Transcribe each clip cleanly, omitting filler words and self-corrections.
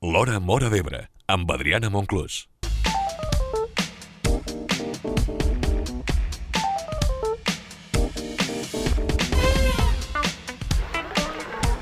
L'Hora Móra d'Ebre, amb Adriana Monclús.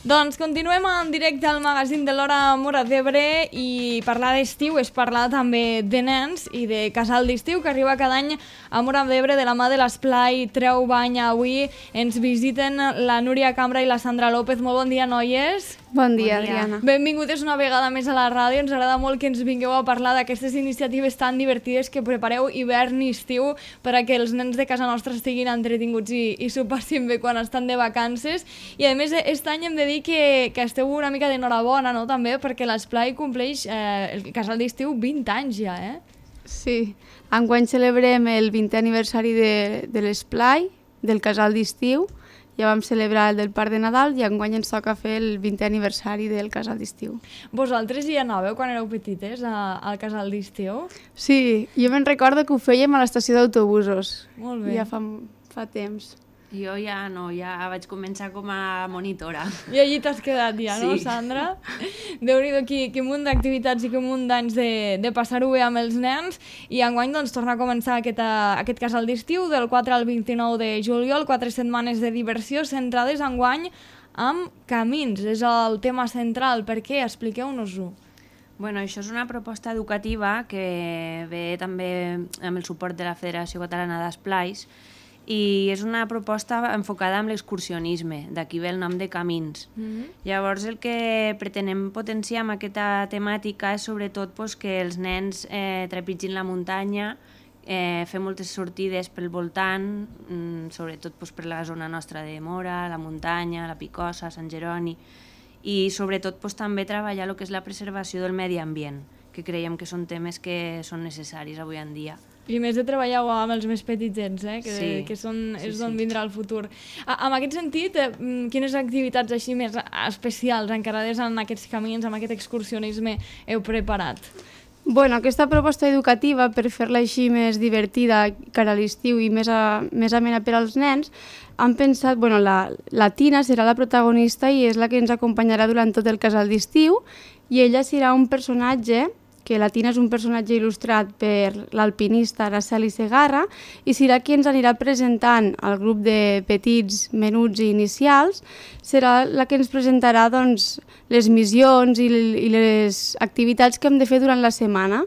Doncs continuem en directe al magazín de l'Hora Móra d'Ebre i parlar d'estiu és parlar també de nens i de casal d'estiu que arriba cada any a Móra d'Ebre de la mà de l'Esplai Treu Bany. Avui ens visiten la Núria Cambra i la Sandra López. Molt bon dia, noies. Bon dia, Adriana. Benvingudes una vegada més a la ràdio. Ens agrada molt que ens vingueu a parlar d'aquestes iniciatives tan divertides que prepareu hivern i estiu per a que els nens de casa nostra estiguin entretinguts i s'ho passin bé quan estan de vacances. I a més, aquest any hem de dir que esteu una mica d'enhorabona, no?, també, perquè l'Esplai compleix el casal d'estiu 20 anys ja, eh? Sí, enguany celebrem el 20è aniversari de l'Esplai, del casal d'estiu. Ja vam celebrar el del Parc de Nadal i enguany ens toca fer el 20è aniversari del casal d'estiu. Vosaltres hi anàveu quan éreu petites al casal d'estiu? Sí, jo me'n recordo que ho fèiem a l'estació d'autobusos. Molt bé. Ja fa temps. Jo ja no, ja vaig començar com a monitora. I allí t'has quedat ja, no, Sí. Sandra? Déu-n'hi-do, quin munt d'activitats i quin munt d'anys de passar-ho bé amb els nens. I enguany doncs, torna a començar aquest casal d'estiu del 4 al 29 de juliol, 4 setmanes de diversió centrades enguany amb camins. És el tema central. Per què? Expliqueu-nos-ho. Bueno, això és una proposta educativa que ve també amb el suport de la Federació Catalana d'Esplais i és una proposta enfocada amb l'excursionisme, d'aquí ve el nom de Camins. Llavors el que pretenem potenciar amb aquesta temàtica és sobretot que els nens trepitgin la muntanya, fer moltes sortides pel voltant, sobretot per la zona nostra de Móra, la muntanya, la Picossa, Sant Jeroni, i sobretot també treballar el que és la preservació del medi ambient, que creiem que són temes que són necessaris avui en dia. I més de treballar amb els més petitets, que és d'on vindrà el futur. En aquest sentit, quines activitats així més especials encarades en aquests camins, amb aquest excursionisme, heu preparat? Bueno, aquesta proposta educativa, per fer-la així més divertida cara a l'estiu i més amena per als nens, han pensat, la Tina serà la protagonista i és la que ens acompanyarà durant tot el casal d'estiu i ella serà un personatge que la Tina és un personatge il·lustrat per l'alpinista Araceli Segarra i serà qui ens anirà presentant al grup de petits, menuts i inicials, serà la que ens presentarà les missions i les activitats que hem de fer durant la setmana.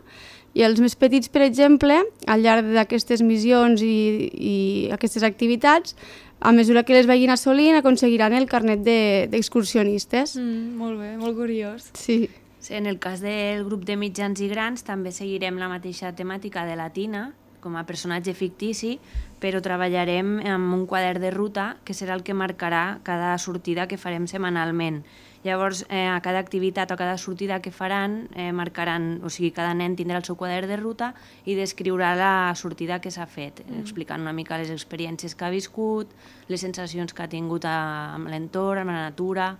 I els més petits, per exemple, al llarg d'aquestes missions i aquestes activitats, a mesura que les vagin assolint, aconseguiran el carnet d'excursionistes. Molt bé, molt curiós. Sí. En el cas del grup de mitjans i grans també seguirem la mateixa temàtica de la Tina, com a personatge fictici, però treballarem amb un quadern de ruta que serà el que marcarà cada sortida que farem setmanalment. Llavors, a cada activitat o cada sortida que faran, marcaran, o sigui, cada nen tindrà el seu quadern de ruta i descriurà la sortida que s'ha fet, explicant una mica les experiències que ha viscut, les sensacions que ha tingut amb l'entorn, amb la natura,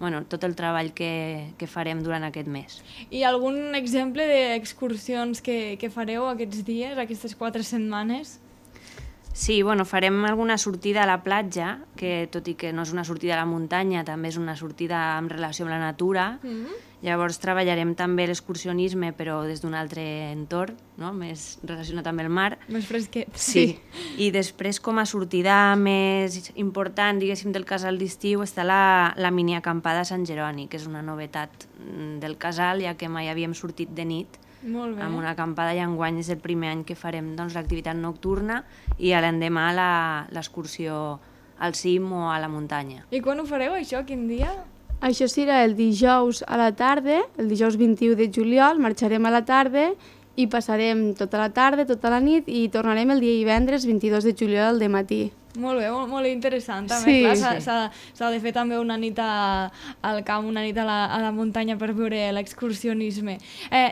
tot el treball que farem durant aquest mes. I algun exemple d'excursions que fareu aquests dies, aquestes 4 setmanes? Sí, farem alguna sortida a la platja, que tot i que no és una sortida a la muntanya, també és una sortida en relació amb la natura. Llavors treballarem també l'excursionisme, però des d'un altre entorn, no? Més relacionat amb el mar. Més fresquet. Sí. I després, com a sortida més important, diguéssim, del casal d'estiu, està la miniacampada a Sant Jeroni, que és una novetat del casal, ja que mai havíem sortit de nit amb una acampada i enguany és el primer any que farem l'activitat nocturna i a l'endemà l'excursió al cim o a la muntanya. I quan ho fareu, això? Quin dia? Això serà el dijous a la tarda, el dijous 21 de juliol, marxarem a la tarda i passarem tota la tarda, tota la nit i tornarem el dia divendres 22 de juliol al dematí. Molt bé, molt interessant. També, sí, s'ha de fer també una nit al camp, una nit a la muntanya per veure l'excursionisme.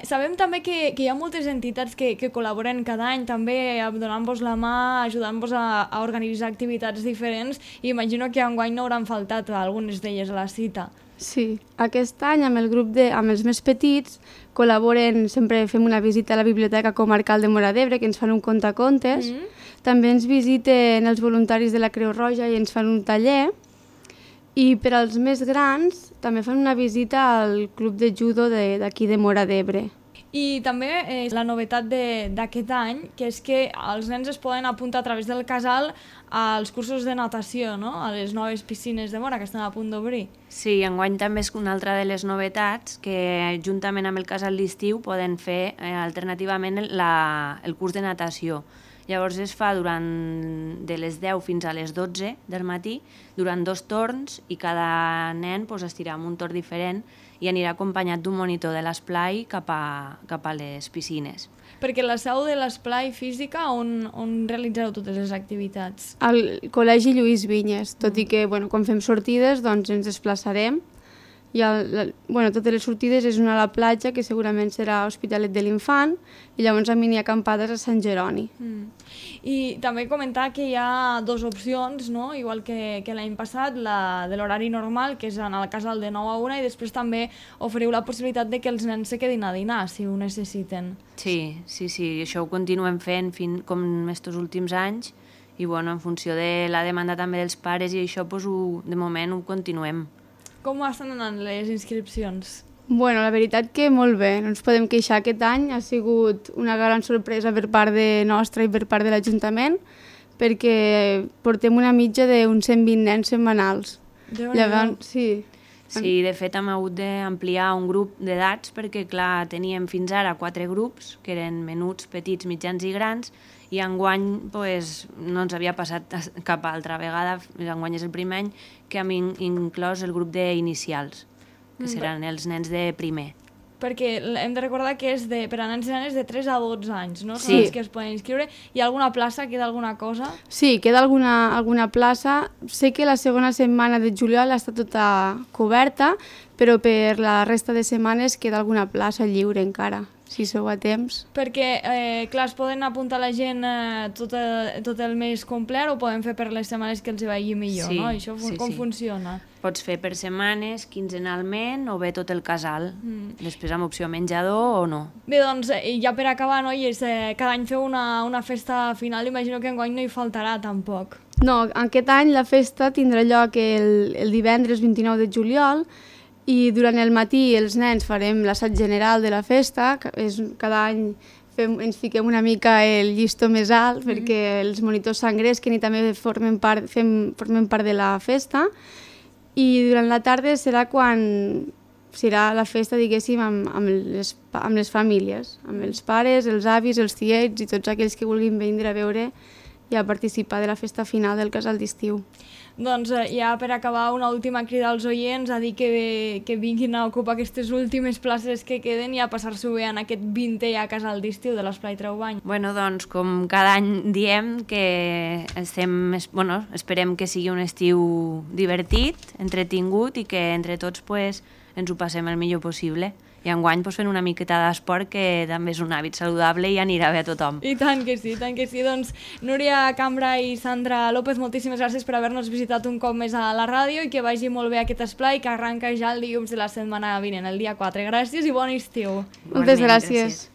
Sabem també que hi ha moltes entitats que col·laboren cada any també donant-vos la mà, ajudant-vos a organitzar activitats diferents i imagino que enguany no hauran faltat algunes d'elles a la cita. Sí, aquest any amb el grup amb els més petits col·laboren, sempre fem una visita a la Biblioteca Comarcal de Móra d'Ebre que ens fan un contacontes. També ens visiten els voluntaris de la Creu Roja i ens fan un taller I per als més grans també fan una visita al club de judo d'aquí de Móra d'Ebre. I també la novetat d'aquest any, que és que els nens es poden apuntar a través del casal als cursos de natació, no? A les noves piscines de Móra que estan a punt d'obrir. Sí, enguany també és una altra de les novetats que juntament amb el casal d'estiu poden fer alternativament el curs de natació. Llavors es fa de les 10 fins a les 12 del matí, durant 2 torns, i cada nen estirà en un torn diferent i anirà acompanyat d'un monitor de l'esplai cap a les piscines. Perquè la seu de l'esplai física, on realitzareu totes les activitats? Al Col·legi Lluís Vinyes, tot i que quan fem sortides doncs ens desplaçarem. I totes les sortides és una a la platja, que segurament serà Hospitalet de l'Infant, i llavors a mini acampades a Sant Jeroni. I també comentar que hi ha 2 opcions, no? Igual que l'any passat, la de l'horari normal, que és anar al casal de 9 a 1, i després també oferiu la possibilitat de que els nens se quedin a dinar, si ho necessiten. Sí, això ho continuem fent com estos últims anys, i en funció de la demanda també dels pares i això, de moment ho continuem. Com estan anant les inscripcions? La veritat que molt bé, no ens podem queixar. Aquest any ha sigut una gran sorpresa per part nostra i per part de l'Ajuntament, perquè portem una mitja d'uns 120 nens setmanals. Llavors, sí. Sí, de fet hem hagut d'ampliar un grup d'edats perquè, clar, teníem fins ara 4 grups, que eren menuts, petits, mitjans i grans, i enguany no ens havia passat cap altra vegada, enguany és el primer any que hem inclòs el grup d'inicials, que seran els nens de primer. Perquè hem de recordar que és per a nens i nenes de 3 a 12 anys, no? Sí. Són els que es poden inscriure. Hi ha alguna plaça? Queda alguna cosa? Sí, queda alguna plaça. Sé que la segona setmana de juliol està tota coberta, però per la resta de setmanes queda alguna plaça lliure encara, si sou a temps. Perquè, clar, es poden apuntar la gent tot el mes complet o poden fer per les setmanes que els vagi millor, no? Això com funciona? Pots fer per setmanes, quinzenalment o bé tot el casal. Després amb opció menjador o no. Bé, doncs, ja per acabar, noies, cada any feu una festa final, imagino que enguany no hi faltarà tampoc. No, aquest any la festa tindrà lloc el divendres 29 de juliol, i durant el matí els nens farem l'assaig general de la festa, cada any ens fiquem una mica el llistó més alt perquè els monitors s'engresquen i també formen part de la festa, i durant la tarda serà la festa, diguéssim, amb les famílies, amb els pares, els avis, els tiets i tots aquells que vulguin vindre a veure i a participar de la festa final del casal d'estiu. Doncs ja per acabar, una última crida als oients a dir que vinguin a ocupar aquestes últimes places que queden i a passar-s'ho bé en aquest 20è a casal d'estiu de l'Esplai Traubany. Doncs com cada any diem que esperem que sigui un estiu divertit, entretingut i que entre tots ens ho passem el millor possible. I enguany fent una miqueta d'esport, que també és un hàbit saludable i anirà bé a tothom. I tant que sí, tant que sí. Doncs Núria Cambra i Sandra López, moltíssimes gràcies per haver-nos visitat un cop més a la ràdio i que vagi molt bé aquest esplai que arranca ja el dilluns de la setmana vinent, el dia 4. Gràcies i bon estiu. Moltes gràcies.